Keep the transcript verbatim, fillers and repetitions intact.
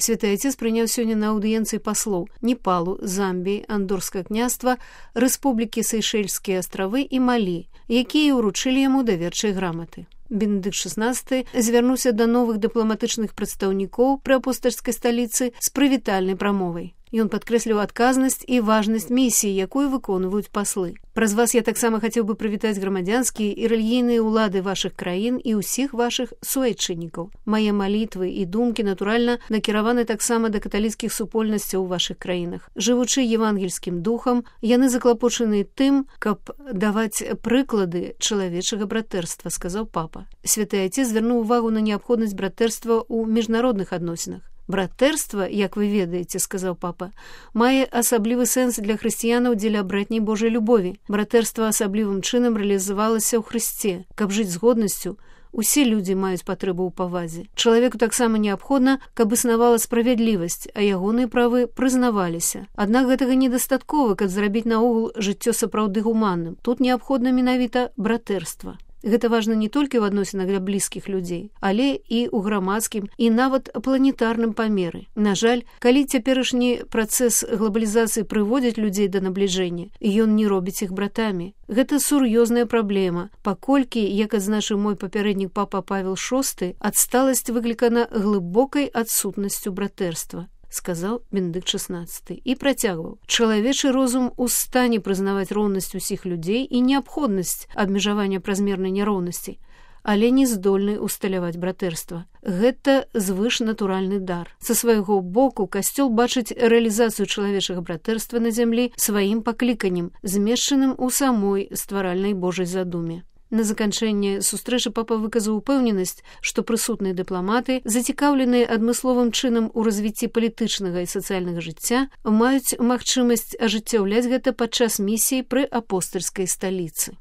Святы Отец прыняў сёння на аўдыенцыі паслоў Непалу, Замбіі, Андорскага княства, Рэспублікі Сейшэльскія астравы і Малі, якія ўручылі яму даверчыя граматы. Бенедыкт шаснаццаты звярнуўся да новых дыпламатычных прадстаўнікоў пры апостальскай сталіцы з прывітальнай прамовай. Ён падкрэсліў адказнасць і важнасць місіі, якую выконваюць паслы. Праз вас я таксама хацеў бы прывітаць грамадзянскія і рэлігійныя ўлады вашых краін і ўсіх вашых суайчыннікаў. Мае малітвы і думкі, натуральна, накіраваны таксама да каталіцкіх супольнасцяў у вашых краінах. Жывучы евангельскім духам, яны заклапочаны тым, каб даваць прыклады чалавечага братэрства, сказаў папа. Святы Отец звярнуў увагу на неабходнасць братэрства ў міжнародных адносінах. Братэрства, як вы ведаеце, сказаў папа, мае асаблівы сэнс для хрысціянаў дзеля братняй Божай любові. Братэрства асаблівым чынам рэалізавалася ў Хрысце. Каб жыць з годнасцю, усе людзі маюць патрэбу ў павазе. Чалавеку таксама неабходна, каб існавала справядлівасць, а ягоныя правы прызнаваліся. Аднак гэтага недастаткова, каб зрабіць наогул жыццё сапраўды гуманным. Тут неабходна менавіта братэрства. Гэта важна не толькі ў адносінах для блізкіх людзей, але і ў грамадскім і нават планетарным памеры. На жаль, калі цяперашні працэс глобалізацыі прыводзіць людзей да набліжэння, ён не робіць іх братамі. Гэта сур'ёзная праблема, паколькі, як адзначыў мой папярэднік папа Павел шосты, адсталасць выклікана глыбокай адсутнасцю братэрства, сказаў Бенедыкт шаснаццаты і працягваў. Чалавечы розум у стане прызнаваць роўнасць усіх людзей і неабходнасць абмежавання празмернай няроўнасці, але не здольны усталяваць братэрства. Гэта звышнатуральны дар. Са свайго боку касцёл бачыць рэалізацыю чалавечага братэрства на зямлі сваім пакліканнем, змешчаным у самой стваральнай Божай задуме. На заканчэнне сустрэчы папа выказаў упэўненасць, што прысутныя дыпламаты, зацікаўленыя адмысловым чынам у развіцці палітычнага і сацыяльнага жыцця, маюць магчымасць ажыццяўляць гэта падчас місіі пры апостальскай сталіцы.